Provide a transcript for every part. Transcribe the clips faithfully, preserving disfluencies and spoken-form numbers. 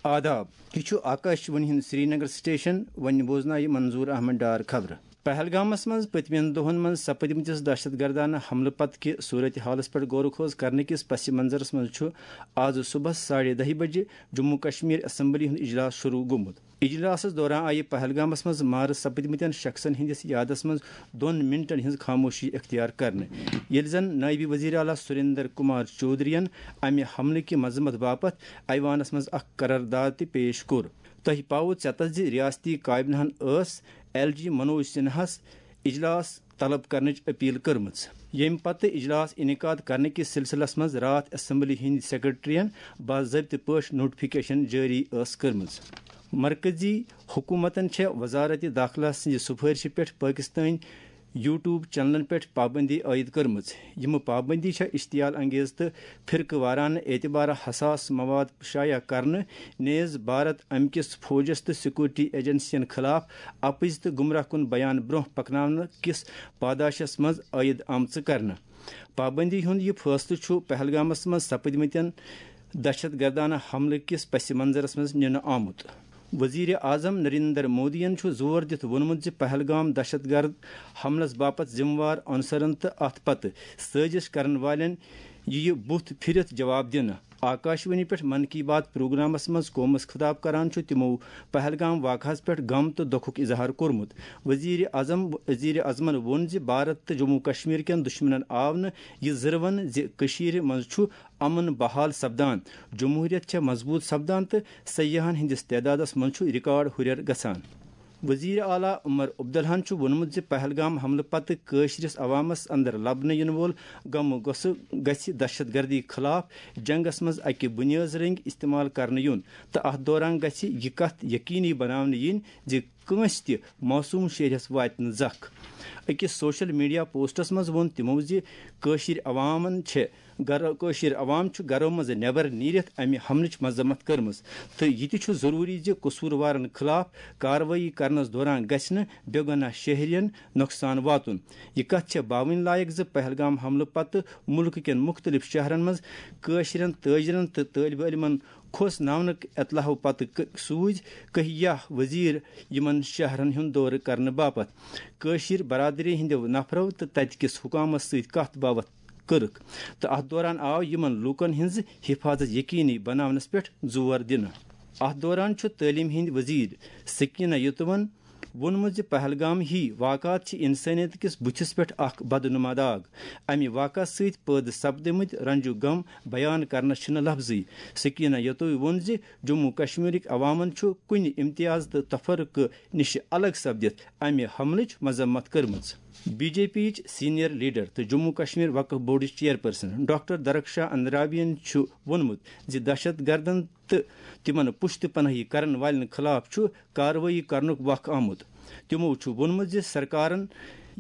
آداب، یہِ چھُ آکاش وانی ہُنٛد سرینگر سٹیشن۔ وۄنۍ بوزناوِ منظور احمد ڈار خبرٕ۔ پہلگامس منٛز پٔتمٮ۪ن دۄہن منٛز سپدمٕتِس دہشت گردانہٕ حملہٕ پتہٕ کہِ صورت حالس پٮ۪ٹھ غور و خوض کرنہٕ کِس پس منظرس منٛز چھُ آز صبحس ساڑِ دَہہِ بجہِ جموں کشمیر اسمبلی ہُنٛد اجلاس شروع گوٚمُت۔ اجلاسس دوران آیہِ پہلگامس منٛز مارٕ سپدمٕتٮ۪ن شخصن ہٕنٛدِس یادس منٛز دۄن منٹن ہٕنٛز خاموشی اختیار کرنہٕ، ییٚلہِ زن نٲیِب وزیر اعلیٰ سریندر کمار چودھرین امہِ حملہٕ کہِ مذمت باپتھ ایوانس منٛز اکھ قرارداد تہِ پیش کوٚر۔ تۄہہِ پاوٕ ژیتس زِ ریاستی کابینہن ٲس ایل جی منوج سنہاہس اجلاس طلب کرنٕچ اپیل کٔرمٕژ، ییٚمہِ پتہٕ اجلاس انعقاد کرنہٕ کِس سلسلس منٛز راتھ اسمبلی ہٕنٛدۍ سیکرٹرین باضٲبطہٕ پٲٹھۍ نوٹیفکیشن جٲری ٲس کٔرمٕژ۔ مرکزی حکومتن چھےٚ وزارت داخلہ سٕنٛزِ سفارشہِ پٮ۪ٹھ پٲکستٲنۍ یوٹیوب چینلن پٮ۪ٹھ پابندی عائد کٔرمٕژ۔ یِم پابندی چھےٚ اشتعال انگیز تہٕ فرقہٕ وارانہٕ اعتبارٕ حساس مواد شایع کرنہٕ نیز بھارت امہِ کِس فوجس تہٕ سیکورٹی ایجنسین خلاف اپٕز تہٕ گمراہ کُن بیان برونٛہہ پکناونہٕ کِس پاداشس منٛز عائد آمژٕ کرنہٕ۔ پابندی ہُنٛد یہِ فٲصلہٕ چھُ پہلگامس منٛز سپدمٕتٮ۪ن دہشت گردانہ حملہٕ کِس پس منظرس منٛز نِنہٕ آمُت۔ وزیر اعظم نریندر مودیَن چھُ زور دِتھ ووٚنمُت زِ پہلگام دہشت گرد حملس باپتھ ذمہٕ وار عنصرن تہٕ اتھ پتہٕ سٲزش کرن والٮ۪ن یِیہِ بُتھ پھِرِتھ جواب دِنہٕ۔ آکاشوانی پٮ۪ٹھ من کی بات پروگرامس منٛز قومس خطاب کران چھُ تِمو پہلگام واقعہس پٮ۪ٹھ غم تہٕ دۄکھُک اظہار کوٚرمُت۔ وزیر اعظم، وزیر اعظمن ووٚن زِ بھارت تہٕ جموں کشمیر کٮ۪ن دشمنن آو نہٕ یہِ زٕروَن زِ کٔشیٖرِ منٛز چھُ امن بحال سپدان، جمہوریت چھےٚ مضبوط سپدان تہٕ سیاحن ہٕنٛدِس تعدادس منٛز چھُ ریکارڈ ہُرٮ۪ر گژھان۔ وزیر اعلیٰ عمر عبداللہن چھُ ووٚنمُت زِ پہلگام حملہٕ پتہٕ کٲشرِس عوامس اندر لبنہٕ یِنہٕ وول غم و غصہٕ گژھِ دہشت گردی خلاف جنگس منٛز اکہِ بُنیٲز رٔنگۍ استعمال کرنہٕ یُن تہٕ اتھ دوران گژھِ یہِ کتھ یقینی بناونہٕ یِنۍ زِ کٲنٛسہِ تہِ معصوم شہرِس واتہِ نہٕ زکھ۔ أکِس سوشل میڈیا پوسٹس منٛز ووٚن تِمو زِ کٲشِر عوامن چھِ گرو، کٲشِر عوام چھُ گرو منٛز نٮ۪بر نیٖرِتھ امہِ حملٕچ مذمت کٔرمٕژ تہٕ یہِ تہِ چھُ ضروٗری زِ قصوٗروارن خلاف کاروٲیی کرنس دوران گژھِ نہٕ بے گۄناہ شہرین نۄقصان واتُن۔ یہِ کتھ چھےٚ باوٕنۍ لایق زِ پہلگام حملہٕ پتہٕ مُلکہٕ کٮ۪ن مُختٔلِف شہرن منٛز کٲشرٮ۪ن تٲجرن تہٕ طٲلبہِ علمن کھوژناونہٕ اطلاعو پتہٕ ک-، سوٗزۍ کہیہ وزیر یِمن شہرن ہُنٛد دورٕ کرنہٕ باپتھ۔ کٲشِر برادری ہٕنٛدیو نفرو تہٕ تتہِ کِس حکامس سۭتۍ کتھ باوتھ کٔرٕکھ تہٕ اتھ دوران آو یِمن لوٗکن ہٕنٛز حفاظت یقینی بناونس پٮ۪ٹھ زور دِنہٕ۔ اتھ دوران چھُ تعلیٖم ہٕنٛدۍ وزیر سکینہ یتوَن ووٚنمُت زِ پہلگام ہی واقعات چھِ انسٲنیت کِس بُتھِس پٮ۪ٹھ اکھ بدنما داغ۔ امہِ واقعہٕ سۭتۍ پٲدٕ سپدٕمٕتۍ رنج و غم بیان کرنس چھِنہٕ لفظٕے۔ سکینہ یتوی ووٚن زِ جموں کشمیرٕکۍ عوامن چھُ کُنہِ امتیاز تہٕ تفرقہٕ نِش الگ سپدِتھ امہِ حملٕچ مذمت کٔرمٕژ۔ بی جے پی یِچ سینئر لیڈر تہٕ جموں کشمیر وقف بورڈٕچ چیئرپرسن ڈاکٹر درخشاں اندرابین چھُ ووٚنمُت زِ دہشت گردن تہٕ تِمن پُشتہٕ پناہی کرن والٮ۪ن خلاف چھُ کاروٲیی کرنُک وق آمُت۔ تِمو چھُ ووٚنمُت زِ سرکارن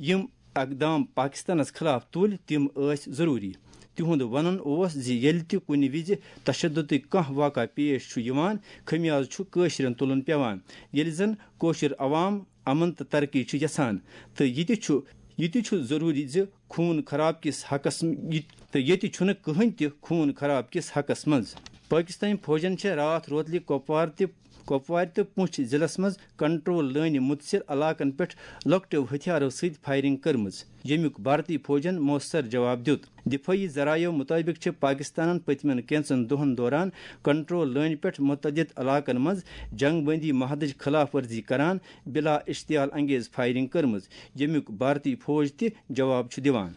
یِم اقدام پاکستانس خلاف تُلۍ، تِم ٲسۍ ضروٗری۔ تِہُنٛد ونُن اوس زِ ییٚلہِ تہِ کُنہِ وِزِ تشددٕکۍ کانٛہہ واقعہٕ پیش چھُ یِوان، خمیازٕ چھُ کٲشرٮ۪ن تُلُن پٮ۪وان، ییٚلہِ زن کٲشُر عوام امن تہٕ ترقی چھُ یژھان، تہٕ یہِ تہِ چھُ، یہِ تہِ چھُ ضروٗری زِ خوٗن خراب کِس حقس، یہِ، تہٕ ییٚتہِ چھُنہٕ کٕہٕنۍ تہِ خوٗن خراب کِس حقس منٛز۔ پٲکِستٲنۍ فوجن چھےٚ راتھ روتلہِ کۄپوار تہِ، کۄپوارِ تہٕ پُنٛچھ ضلعس منٛز کنٹرول لٲنہِ مُتٲثر علاقن پٮ۪ٹھ لۄکٹیو ہتھیارو سۭتۍ فائرنگ کٔرمٕژ، ییٚمیُک بھارتی فوجن مؤثر جواب دیُت۔ دفٲعی ذرایعو مُطٲبِق چھِ پاکستانن پٔتمٮ۪ن کینٛژن دۄہن دوران کنٹرول لٲنہِ پٮ۪ٹھ متعدد علاقن منٛز جنگ بندی معاہدٕچ خلاف ورزی کران بلا اشتعال انگیز فائرنگ کٔرمٕژ، ییٚمیُک بھارتی فوج تہِ جواب چھُ دِوان۔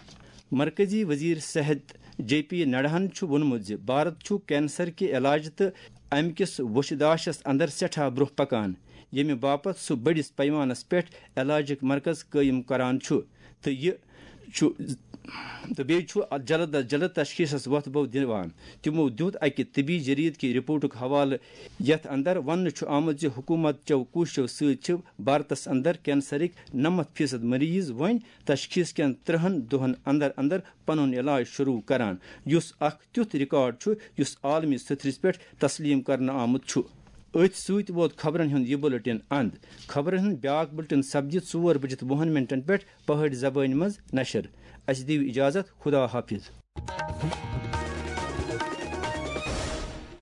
مرکزی وزیر صحت جے پی نڈاہن چھُ ووٚنمُت زِ بھارت چھُ کینسر کہِ علاج تہٕ امہِ کِس وُچھداشس اندر سٮ۪ٹھاہ برونٛہہ پکان، ییٚمہِ باپتھ سُہ بٔڑِس پیمانس پٮ۪ٹھ علاجُک مرکز قٲیِم کران چھُ تہٕ یہِ چھُ، تہٕ بیٚیہِ چھُ جلد از جلد تشخیصس وۄتھ بو دِوان۔ تِمو دیُت اکہِ طبی جریدٕ کہِ رپورٹُک حوالہٕ، یتھ اندر وننہٕ چھُ آمُت زِ حکومت چٮ۪و کوٗششو سۭتۍ چھِ بھارتس اندر کینسرٕکۍ نَمَتھ فیصد مریض وۄنۍ تشخیص کٮ۪ن ترٛہَن دۄہَن اندر اندر پنُن علاج شروع کران، یُس اکھ تیُتھ ریکارڈ چھُ یُس عالمی سطحس پٮ۪ٹھ تسلیم کرنہٕ آمُت چھُ۔ أتھۍ سۭتۍ ووت خبرن ہُنٛد یہِ بُلٹن اند۔ خبرن ہُنٛد بیاکھ بُلٹن سپدِ ژور بجِتھ وُہَن منٹن پٮ۪ٹھ پہٲڑۍ زبٲنۍ منٛز نشر۔ اسہِ دِیِو اجازت، خدا حافظ۔